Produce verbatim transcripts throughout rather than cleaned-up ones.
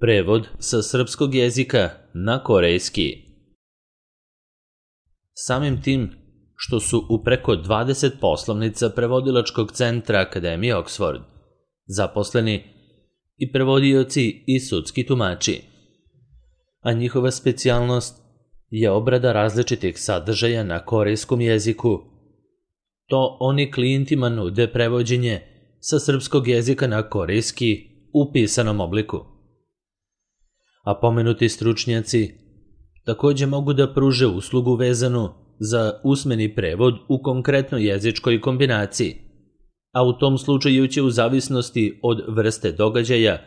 Prevod sa srpskog jezika na korejski. Samim tim što su u preko dvadeset poslovnica prevodilačkog centra Akademije Oxford zaposleni i prevodioci i sudski tumači, a njihova specijalnost je obrada različitih sadržaja na korejskom jeziku, to oni klijentima nude prevođenje sa srpskog jezika na korejski u pisanom obliku. A pomenuti stručnjaci takođe mogu da pruže uslugu vezanu za usmeni prevod u konkretnoj jezičkoj kombinaciji, a u tom slučaju će u zavisnosti od vrste događaja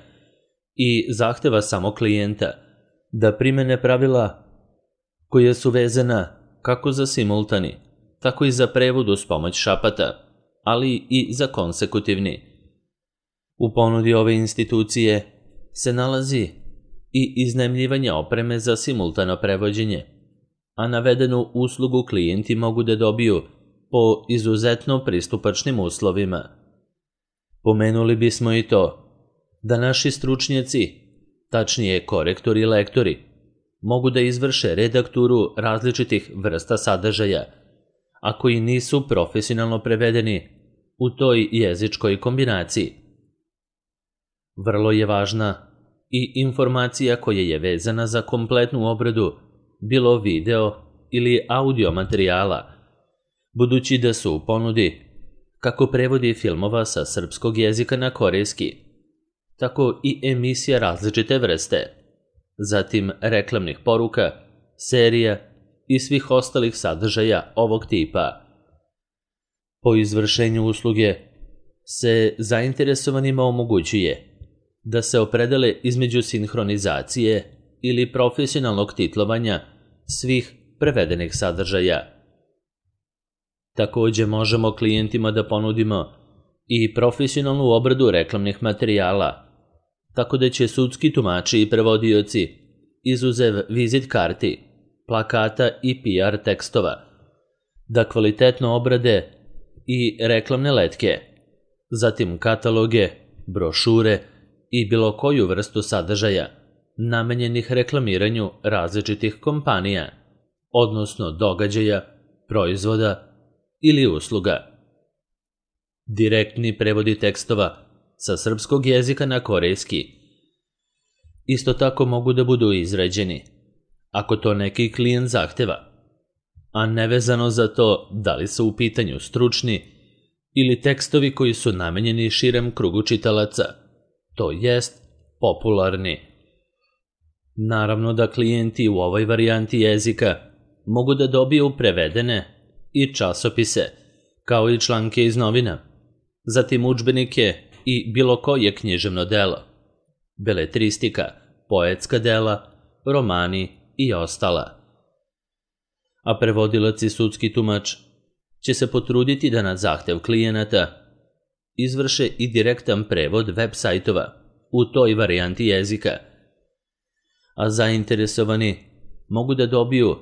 i zahteva samo klijenta da primene pravila koja su vezana kako za simultani, tako i za prevod uz pomoć šapata, ali i za konsekutivni. U ponudi ove institucije se nalazi i iznajmljivanje opreme za simultano prevođenje, a navedenu uslugu klijenti mogu da dobiju po izuzetno pristupačnim uslovima. Pomenuli bismo i to da naši stručnjaci, tačnije korektori i lektori, mogu da izvrše redakturu različitih vrsta sadržaja, a koji nisu profesionalno prevedeni u toj jezičkoj kombinaciji. Vrlo je važna i informacija koja je vezana za kompletnu obradu bilo video ili audio materijala, budući da su u ponudi kako prevodi filmova sa srpskog jezika na korejski, tako i emisija različite vrste, zatim reklamnih poruka, serija i svih ostalih sadržaja ovog tipa. Po izvršenju usluge se zainteresovanima omogućuje da se opredele između sinhronizacije ili profesionalnog titlovanja svih prevedenih sadržaja. Takođe možemo klijentima da ponudimo i profesionalnu obradu reklamnih materijala, tako da će sudski tumači i prevodioci, izuzev vizit karti, plakata i P R tekstova, da kvalitetno obrade i reklamne letke, zatim kataloge, brošure i bilo koju vrstu sadržaja namenjenih reklamiranju različitih kompanija, odnosno događaja, proizvoda ili usluga. Direktni prevodi tekstova sa srpskog jezika na korejski isto tako mogu da budu izrađeni, ako to neki klijent zahteva, a nevezano za to da li su u pitanju stručni ili tekstovi koji su namenjeni širem krugu čitalaca, to jest popularni. Naravno da klijenti u ovoj varijanti jezika mogu da dobiju prevedene i časopise, kao i članke iz novina, zatim udžbenike i bilo koje književno delo, beletristika, poetska dela, romani i ostala. A prevodilac i sudski tumač će se potruditi da na zahtev klijenata izvrše i direktan prevod web sajtova u toj varijanti jezika, a zainteresovani mogu da dobiju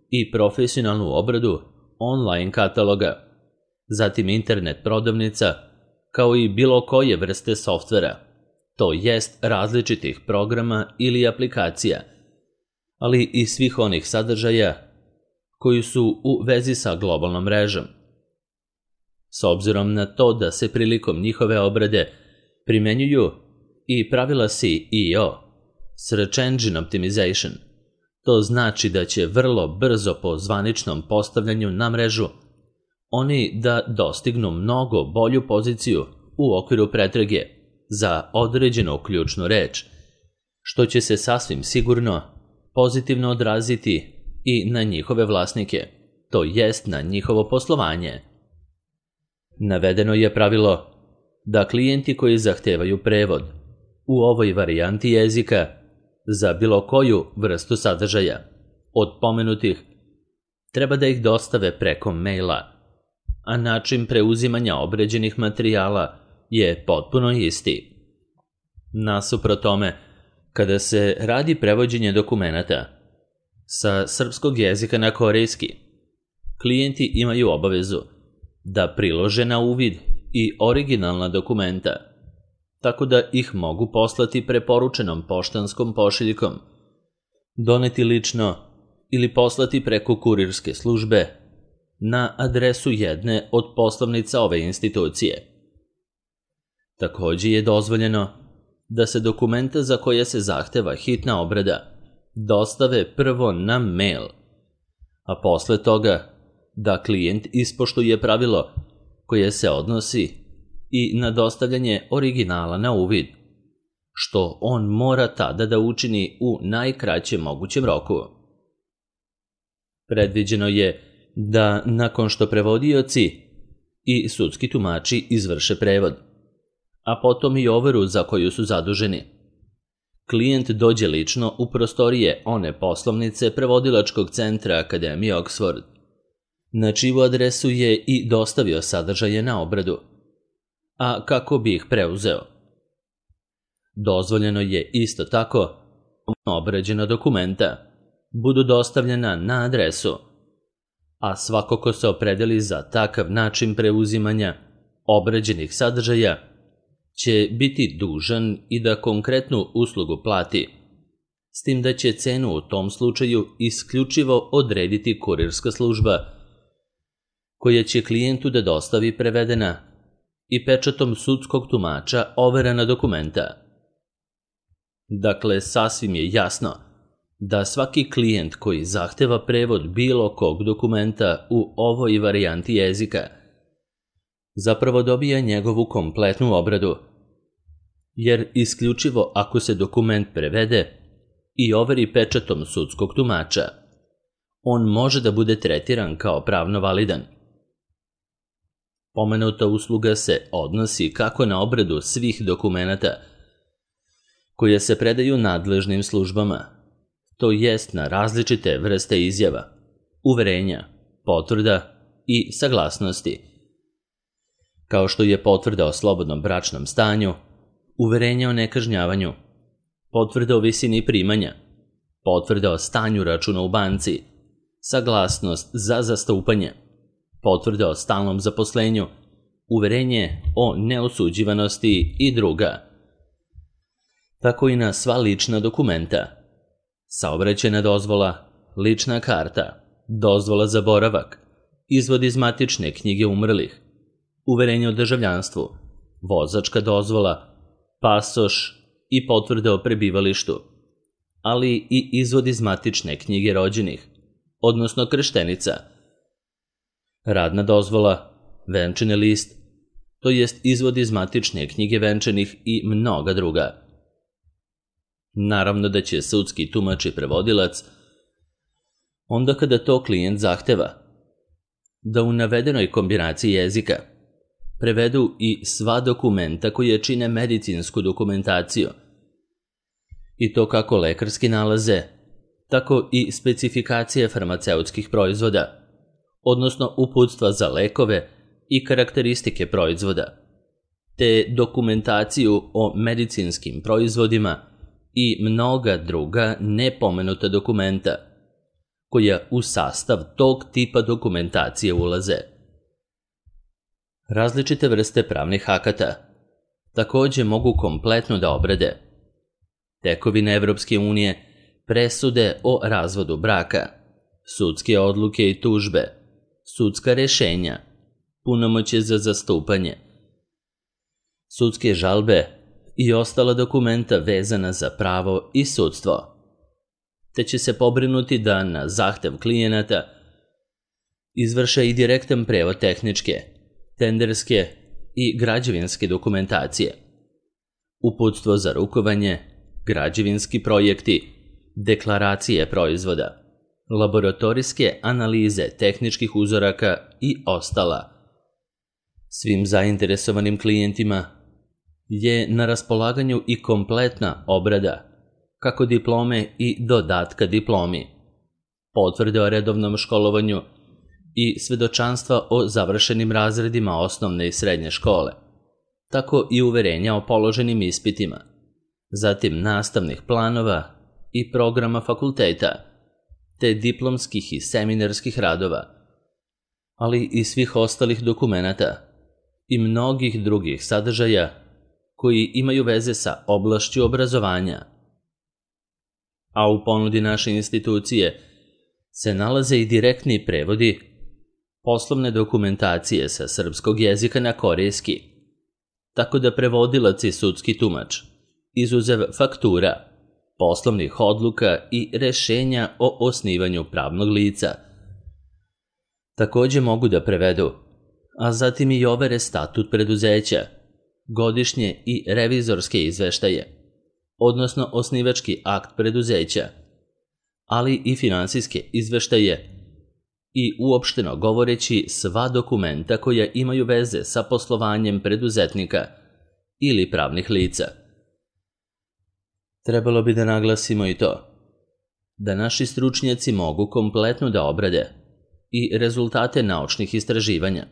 i profesionalnu obradu online kataloga, zatim internet prodavnica, kao i bilo koje vrste softvera, to jest različitih programa ili aplikacija, ali i svih onih sadržaja koji su u vezi sa globalnom mrežom. S obzirom na to da se prilikom njihove obrade primenjuju i pravila S E O, Search Engine Optimization, to znači da će vrlo brzo po zvaničnom postavljanju na mrežu oni da dostignu mnogo bolju poziciju u okviru pretrage za određenu ključnu reč, što će se sasvim sigurno pozitivno odraziti i na njihove vlasnike, to jest na njihovo poslovanje. Navedeno je pravilo da klijenti koji zahtevaju prevod u ovoj varijanti jezika za bilo koju vrstu sadržaja od pomenutih treba da ih dostave preko maila, a način preuzimanja obređenih materijala je potpuno isti. Nasuprot tome, kada se radi prevođenje dokumenata sa srpskog jezika na korejski, klijenti imaju obavezu da prilože na uvid i originalna dokumenta, tako da ih mogu poslati preporučenom poštanskom pošiljkom, doneti lično ili poslati preko kurirske službe na adresu jedne od poslovnica ove institucije. Takođe je dozvoljeno da se dokumenta za koje se zahteva hitna obrada dostave prvo na mail, a posle toga da klijent ispoštuje pravilo koje se odnosi i na dostavljanje originala na uvid, što on mora tada da učini u najkraćem mogućem roku. Predviđeno je da nakon što prevodioci i sudski tumači izvrše prevod, a potom i overu za koju su zaduženi, klijent dođe lično u prostorije one poslovnice prevodilačkog centra Akademije Oxford, na čiju adresu je i dostavio sadržaje na obradu, a kako bi ih preuzeo. Dozvoljeno je isto tako da obrađena dokumenta budu dostavljena na adresu, a svako ko se opredeli za takav način preuzimanja obrađenih sadržaja će biti dužan i da konkretnu uslugu plati, s tim da će cenu u tom slučaju isključivo odrediti kurirska služba, koja će klijentu da dostavi prevedena i pečatom sudskog tumača overena dokumenta. Dakle, sasvim je jasno da svaki klijent koji zahteva prevod bilo kog dokumenta u ovoj varijanti jezika zapravo dobija njegovu kompletnu obradu, jer isključivo ako se dokument prevede i overi pečatom sudskog tumača, on može da bude tretiran kao pravno validan. Pomenuta usluga se odnosi kako na obradu svih dokumenata koje se predaju nadležnim službama, to jest na različite vrste izjava, uverenja, potvrda i saglasnosti, kao što je potvrda o slobodnom bračnom stanju, uverenja o nekažnjavanju, potvrda o visini primanja, potvrda o stanju računa u banci, saglasnost za zastupanje, potvrda o stalnom zaposlenju, uverenje o neosuđivanosti i druga. Tako i na sva lična dokumenta, saobraćajna dozvola, lična karta, dozvola za boravak, izvod iz matične knjige umrlih, uverenje o državljanstvu, vozačka dozvola, pasoš i potvrda o prebivalištu, ali i izvod iz matične knjige rođenih, odnosno krštenica, radna dozvola, venčani list, to jest izvod iz matične knjige venčanih i mnoga druga. Naravno da će sudski tumač i prevodilac, onda kada to klijent zahteva, da u navedenoj kombinaciji jezika prevedu i sva dokumenta koje čine medicinsku dokumentaciju, i to kako lekarski nalaze, tako i specifikacije farmaceutskih proizvoda, odnosno uputstva za lekove i karakteristike proizvoda, te dokumentaciju o medicinskim proizvodima i mnoga druga nepomenuta dokumenta, koja u sastav tog tipa dokumentacije ulaze. Različite vrste pravnih akata takođe mogu kompletno da obrade tekovine Evropske unije, presude o razvodu braka, sudske odluke i tužbe, sudska rešenja, punomoćje za zastupanje, sudske žalbe i ostala dokumenta vezana za pravo i sudstvo, te će se pobrinuti da na zahtev klijenata izvrše i direktan prevod tehničke, tenderske i građevinske dokumentacije, uputstvo za rukovanje, građevinski projekti, deklaracije proizvoda, laboratorijske analize tehničkih uzoraka i ostala. Svim zainteresovanim klijentima je na raspolaganju i kompletna obrada, kako diplome i dodatka diplomi, potvrde o redovnom školovanju i svedočanstva o završenim razredima osnovne i srednje škole, tako i uverenja o položenim ispitima, zatim nastavnih planova i programa fakulteta, te diplomskih i seminarskih radova, ali i svih ostalih dokumenata i mnogih drugih sadržaja koji imaju veze sa oblašću obrazovanja. A u ponudi naše institucije se nalaze i direktni prevodi poslovne dokumentacije sa srpskog jezika na korejski, tako da prevodilac i sudski tumač, izuzev faktura, poslovnih odluka i rešenja o osnivanju pravnog lica, takođe mogu da prevedu, a zatim i overe statut preduzeća, godišnje i revizorske izveštaje, odnosno osnivački akt preduzeća, ali i finansijske izveštaje i uopšteno govoreći sva dokumenta koja imaju veze sa poslovanjem preduzetnika ili pravnih lica. Trebalo bi da naglasimo i to, da naši stručnjaci mogu kompletno da obrade i rezultate naučnih istraživanja,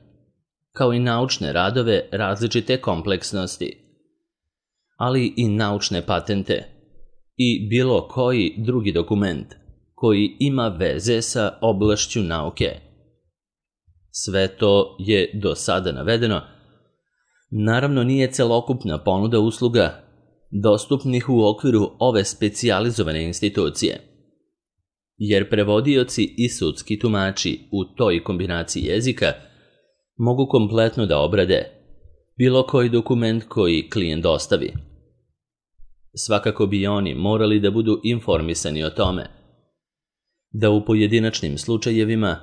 kao i naučne radove različite kompleksnosti, ali i naučne patente i bilo koji drugi dokument koji ima veze sa oblašću nauke. Sve to je do sada navedeno, naravno nije celokupna ponuda usluga dostupnih u okviru ove specijalizovane institucije, jer prevodioci i sudski tumači u toj kombinaciji jezika mogu kompletno da obrade bilo koji dokument koji klijent dostavi. Svakako bi oni morali da budu informisani o tome da u pojedinačnim slučajevima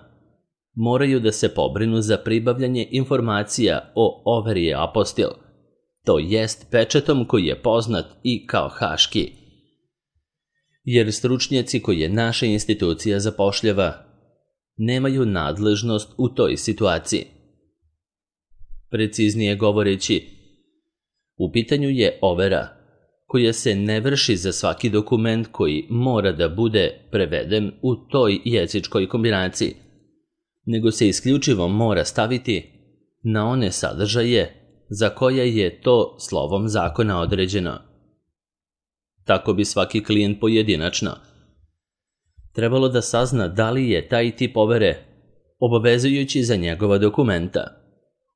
moraju da se pobrinu za pribavljanje informacija o overi apostil, to jest pečatom koji je poznat i kao haški, jer stručnjaci koje naša institucija zapošljava nemaju nadležnost u toj situaciji. Preciznije govoreći, u pitanju je overa koja se ne vrši za svaki dokument koji mora da bude preveden u toj jezičkoj kombinaciji, nego se isključivo mora staviti na one sadržaje za koje je to slovom zakona određeno. Tako bi svaki klijent pojedinačno trebalo da sazna da li je taj tip overe obavezujući za njegova dokumenta,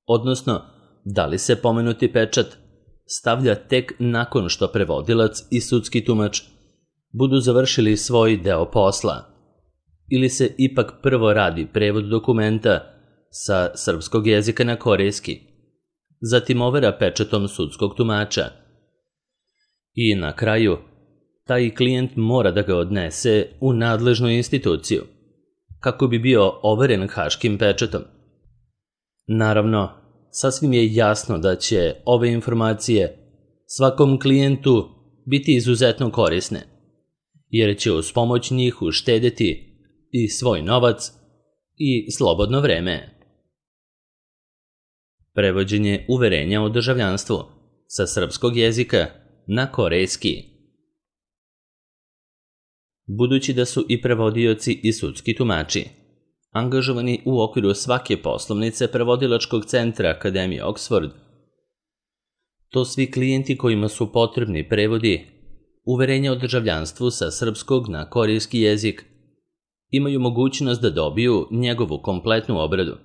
odnosno da li se pomenuti pečat stavlja tek nakon što prevodilac i sudski tumač budu završili svoj deo posla, ili se ipak prvo radi prevod dokumenta sa srpskog jezika na korejski, zatim overa pečatom sudskog tumača i na kraju taj klijent mora da ga odnese u nadležnu instituciju kako bi bio overen haškim pečatom. Naravno, sasvim je jasno da će ove informacije svakom klijentu biti izuzetno korisne, jer će uz pomoć njih uštedeti i svoj novac i slobodno vreme. Prevođenje uverenja o državljanstvu sa srpskog jezika na korejski. Budući da su i prevodioci i sudski tumači angažovani u okviru svake poslovnice prevodilačkog centra Akademije Oxford, to svi klijenti kojima su potrebni prevodi uverenja o državljanstvu sa srpskog na korejski jezik imaju mogućnost da dobiju njegovu kompletnu obradu.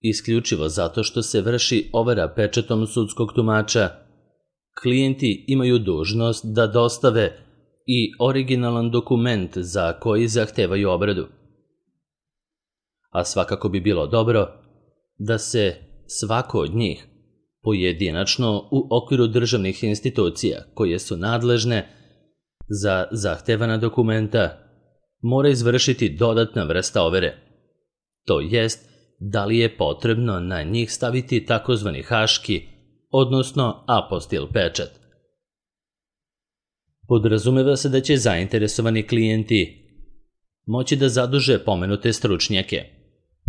Isključivo zato što se vrši overa pečatom sudskog tumača, klijenti imaju dužnost da dostave i originalan dokument za koji zahtevaju obradu. A svakako bi bilo dobro da se svako od njih pojedinačno u okviru državnih institucija koje su nadležne za zahtevana dokumenta mora izvršiti dodatna vrsta overe, to jest da li je potrebno na njih staviti takozvani haški, odnosno apostil pečat. Podrazumeva se da će zainteresovani klijenti moći da zaduže pomenute stručnjake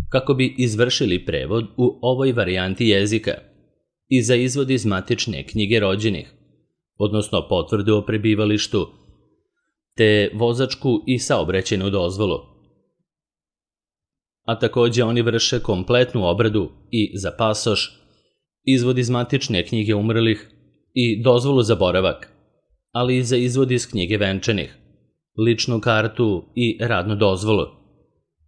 kako bi izvršili prevod u ovoj varijanti jezika i za izvod iz matične knjige rođenih, odnosno potvrdu o prebivalištu, te vozačku i saobraćajnu dozvolu. A takođe oni vrše kompletnu obradu i za pasoš, izvod iz matične knjige umrlih i dozvolu za boravak, ali i za izvod iz knjige venčanih, ličnu kartu i radnu dozvolu,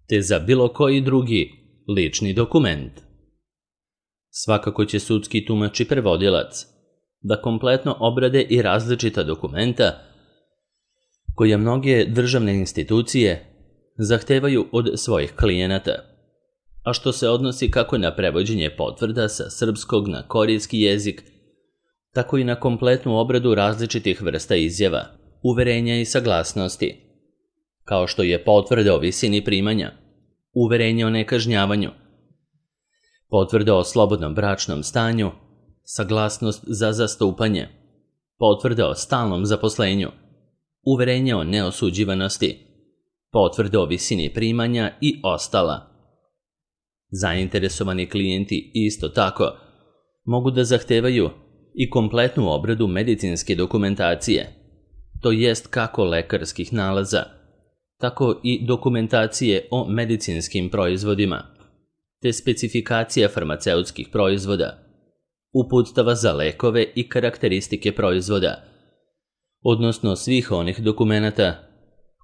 te za bilo koji drugi lični dokument. Svakako će sudski tumač i prevodilac da kompletno obrade i različita dokumenta koje mnoge državne institucije zahtevaju od svojih klijenata, a što se odnosi kako na prevođenje potvrda sa srpskog na korejski jezik, tako i na kompletnu obradu različitih vrsta izjava, uverenja i saglasnosti, kao što je potvrda o visini primanja, uverenje o nekažnjavanju, potvrda o slobodnom bračnom stanju, saglasnost za zastupanje, potvrda o stalnom zaposlenju, uverenje o neosuđivanosti, potvrda o visini primanja i ostala. Zainteresovani klijenti isto tako mogu da zahtevaju i kompletnu obradu medicinske dokumentacije, to jest kako lekarskih nalaza, tako i dokumentacije o medicinskim proizvodima, te specifikacija farmaceutskih proizvoda, uputstava za lekove i karakteristike proizvoda, odnosno svih onih dokumenata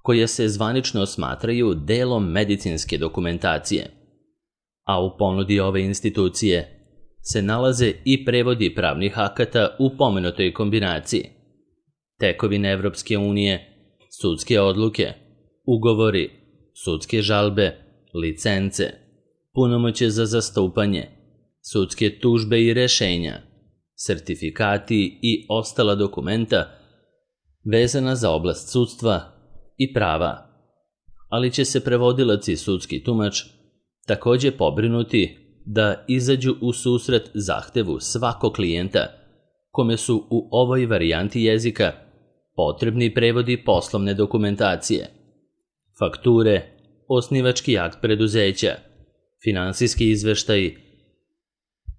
koje se zvanično smatraju delom medicinske dokumentacije. A u ponudi ove institucije se nalaze i prevodi pravnih akata u pomenutoj kombinaciji, tekovine Evropske unije, sudske odluke, ugovori, sudske žalbe, licence, punomoćje za zastupanje, sudske tužbe i rešenja, sertifikati i ostala dokumenta vezana za oblast sudstva i prava, ali će se prevodilac i sudski tumač takođe pobrinuti da izađu u susret zahtevu svakog klijenta kome su u ovoj varijanti jezika potrebni prevodi poslovne dokumentacije, fakture, osnivački akt preduzeća, finansijski izveštaj,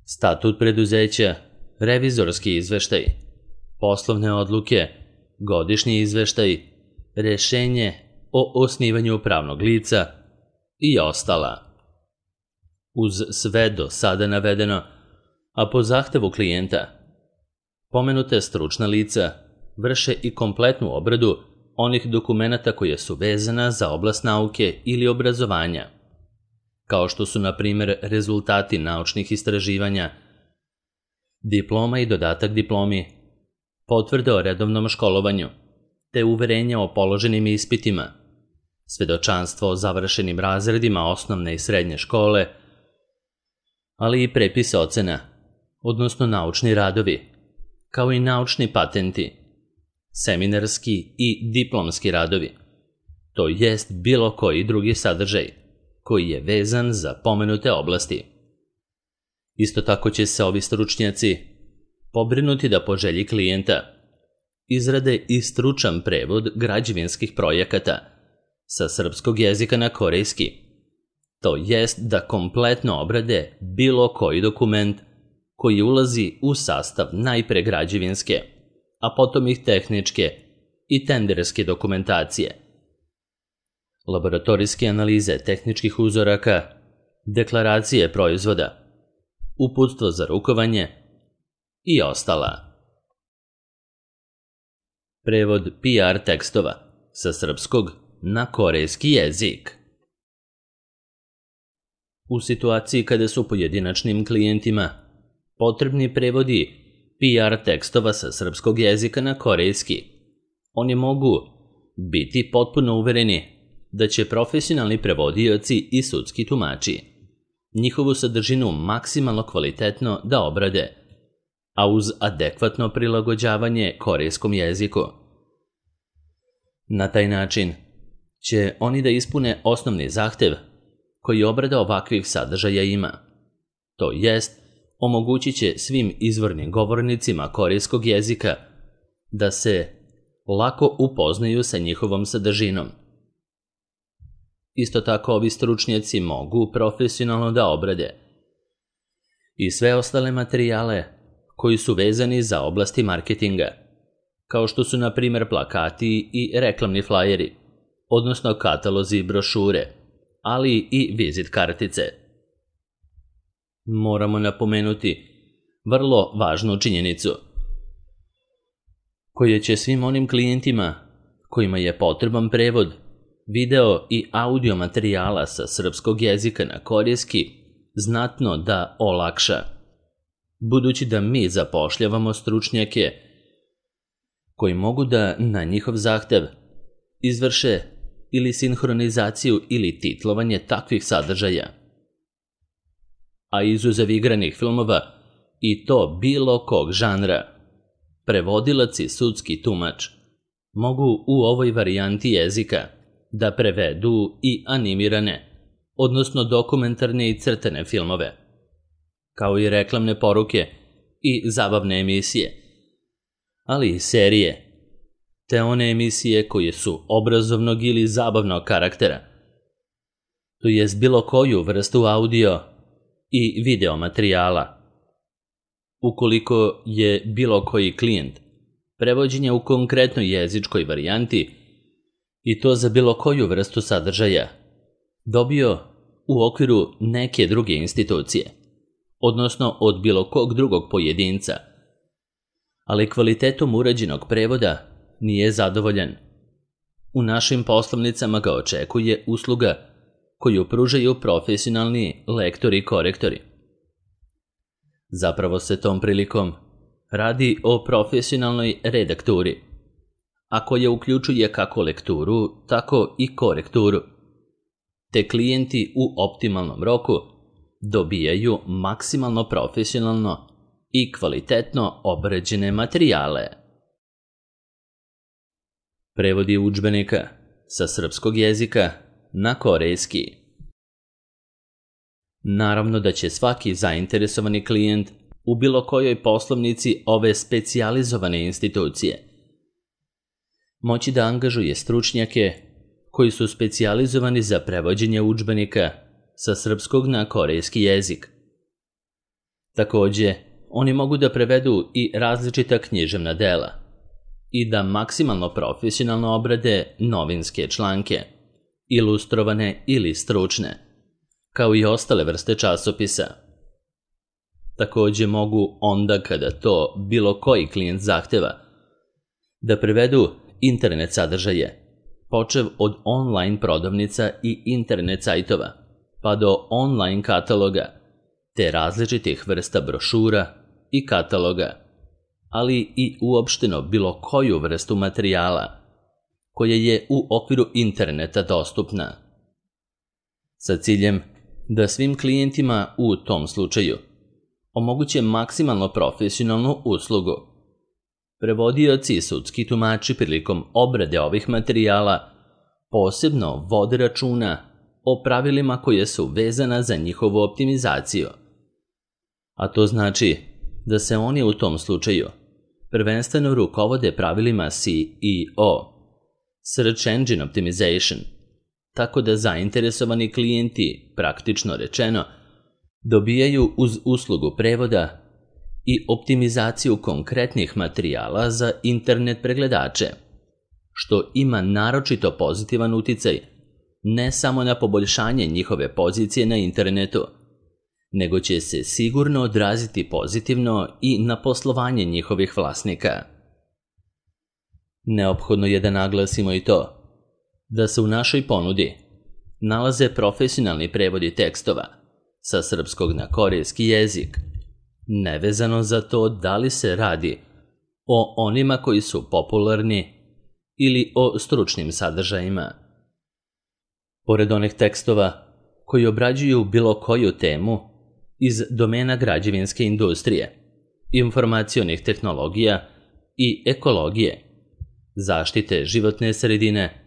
statut preduzeća, revizorski izveštaj, poslovne odluke, godišnji izveštaj, rešenje o osnivanju pravnog lica i ostala. Uz sve do sada navedeno, a po zahtevu klijenta, pomenute stručna lica vrše i kompletnu obradu onih dokumenata koje su vezana za oblast nauke ili obrazovanja, kao što su, na primjer, rezultati naučnih istraživanja, diploma i dodatak diplomi, potvrde o redovnom školovanju, te uverenja o položenim ispitima, svedočanstvo o završenim razredima osnovne i srednje škole, ali i prepise ocena, odnosno naučni radovi, kao i naučni patenti, seminarski i diplomski radovi, to jest bilo koji drugi sadržaj koji je vezan za pomenute oblasti. Isto tako će se ovi stručnjaci pobrinuti da po želji klijenta izrade i stručan prevod građevinskih projekata sa srpskog jezika na korejski, to jest da kompletno obrade bilo koji dokument koji ulazi u sastav najpre građevinske, a potom ih tehničke i tenderske dokumentacije, laboratorijske analize tehničkih uzoraka, deklaracije proizvoda, uputstvo za rukovanje i ostala. Prevod P R tekstova sa srpskog na korejski jezik. U situaciji kada su pojedinačnim klijentima potrebni prevodi P R tekstova sa srpskog jezika na korejski, oni mogu biti potpuno uvereni da će profesionalni prevodioci i sudski tumači njihovu sadržinu maksimalno kvalitetno da obrade, a uz adekvatno prilagođavanje korejskom jeziku. Na taj način će oni da ispune osnovni zahtev koji obrada ovakvih sadržaja ima, to jest omogućit će svim izvornim govornicima korejskog jezika da se lako upoznaju sa njihovom sadržinom. Isto tako ovi stručnjaci mogu profesionalno da obrade i sve ostale materijale koji su vezani za oblasti marketinga, kao što su na primjer plakati i reklamni flajeri, odnosno katalozi i brošure, ali i vizit kartice. Moramo napomenuti vrlo važnu činjenicu, koja će svim onim klijentima kojima je potreban prevod video i audio materijala sa srpskog jezika na korejski znatno da olakša. budući da mi zapošljavamo stručnjake koji mogu da na njihov zahtev izvrše ili sinhronizaciju ili titlovanje takvih sadržaja. A izuzev igranih filmova, i to bilo kog žanra, prevodilac i sudski tumač mogu u ovoj varijanti jezika da prevedu i animirane, odnosno dokumentarne i crtene filmove, kao i reklamne poruke i zabavne emisije, ali i serije, te one emisije koje su obrazovnog ili zabavnog karaktera, to jest bilo koju vrstu audio i video materijala. Ukoliko je bilo koji klijent prevođenja u konkretnoj jezičkoj varijanti, i to za bilo koju vrstu sadržaja, dobio u okviru neke druge institucije, odnosno od bilo kog drugog pojedinca, ali kvalitetom urađenog prevoda nije zadovoljan. U našim poslovnicama ga očekuje usluga koju pružaju profesionalni lektori i korektori. Zapravo se tom prilikom radi o profesionalnoj redakturi, a koja uključuje kako lekturu, tako i korekturu, te klijenti u optimalnom roku dobijaju maksimalno profesionalno i kvalitetno obrađene materijale. Prevodi udžbenika sa srpskog jezika na korejski. Naravno da će svaki zainteresovani klijent u bilo kojoj poslovnici ove specijalizovane institucije moći da angažuje stručnjake koji su specijalizovani za prevođenje udžbenika sa srpskog na korejski jezik. Takođe, oni mogu da prevedu i različita književna dela i da maksimalno profesionalno obrade novinske članke, ilustrovane ili stručne, kao i ostale vrste časopisa. Takođe mogu onda kada to bilo koji klijent zahteva da prevedu internet sadržaje, počev od online prodavnica i internet sajtova, pa do online kataloga, te različitih vrsta brošura i kataloga, ali i uopšteno bilo koju vrstu materijala koja je u okviru interneta dostupna, sa ciljem da svim klijentima u tom slučaju omoguće maksimalno profesionalnu uslugu. Prevodioci i sudski tumači prilikom obrade ovih materijala posebno vode računa o pravilima koje su vezana za njihovu optimizaciju. A to znači da se oni u tom slučaju prvenstveno rukovode pravilima S E O, Search Engine Optimization, tako da zainteresovani klijenti, praktično rečeno, dobijaju uz uslugu prevoda i optimizaciju konkretnih materijala za internet pregledače, što ima naročito pozitivan uticaj ne samo na poboljšanje njihove pozicije na internetu, nego će se sigurno odraziti pozitivno i na poslovanje njihovih vlasnika. Neophodno je da naglasimo i to da se u našoj ponudi nalaze profesionalni prevodi tekstova sa srpskog na korejski jezik, nevezano za to da li se radi o onima koji su popularni ili o stručnim sadržajima. Pored onih tekstova koji obrađuju bilo koju temu iz domena građevinske industrije, informacionih tehnologija i ekologije, zaštite životne sredine,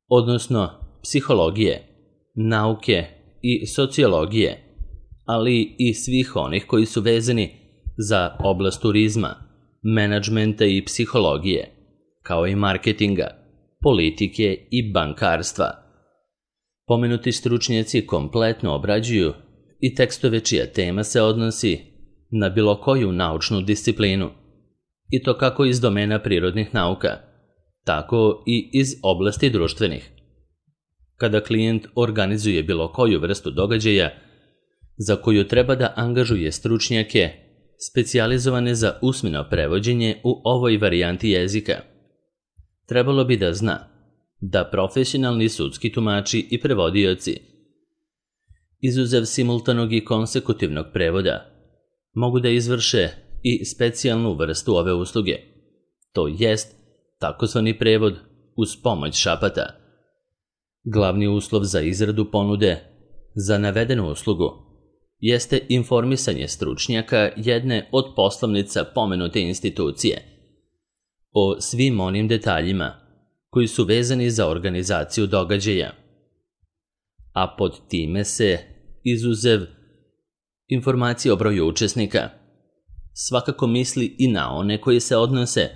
odnosno psihologije, nauke i sociologije, ali i svih onih koji su vezani za oblast turizma, menadžmenta i psihologije, kao i marketinga, politike i bankarstva. Pomenuti stručnjaci kompletno obrađuju i tekstove čija tema se odnosi na bilo koju naučnu disciplinu, i to kako iz domena prirodnih nauka, tako i iz oblasti društvenih. Kada klijent organizuje bilo koju vrstu događaja za koju treba da angažuje stručnjake specijalizovane za usmeno prevođenje u ovoj varijanti jezika, trebalo bi da zna da profesionalni sudski tumači i prevodioci, izuzev simultanog i konsekutivnog prevoda, mogu da izvrše i specijalnu vrstu ove usluge, to jest takozvani prevod uz pomoć šapata. Glavni uslov za izradu ponude za navedenu uslugu jeste informisanje stručnjaka jedne od poslovnica pomenute institucije o svim onim detaljima koji su vezani za organizaciju događaja, a pod time se, izuzev informacije o broju učesnika, svakako misli i na one koji se odnose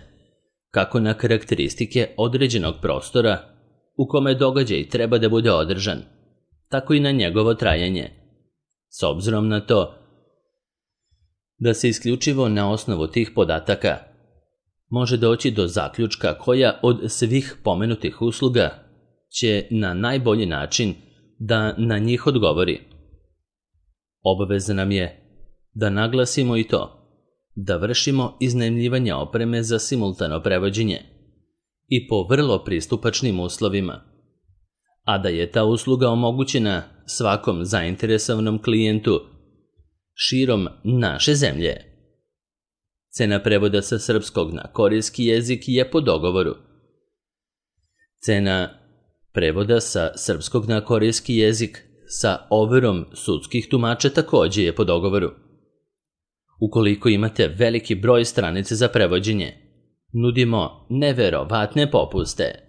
kako na karakteristike određenog prostora u kome događaj treba da bude održan, tako i na njegovo trajanje, s obzirom na to da se isključivo na osnovu tih podataka može doći do zaključka koja od svih pomenutih usluga će na najbolji način da na njih odgovori. Obaveza nam je da naglasimo i to da vršimo iznajmljivanje opreme za simultano prevođenje i po vrlo pristupačnim uslovima, a da je ta usluga omogućena svakom zainteresovanom klijentu širom naše zemlje. Cena prevoda sa srpskog na korejski jezik je po dogovoru. Cena prevoda sa srpskog na korejski jezik sa overom sudskih tumača takođe je po dogovoru. Ukoliko imate veliki broj stranice za prevođenje, nudimo neverovatne popuste.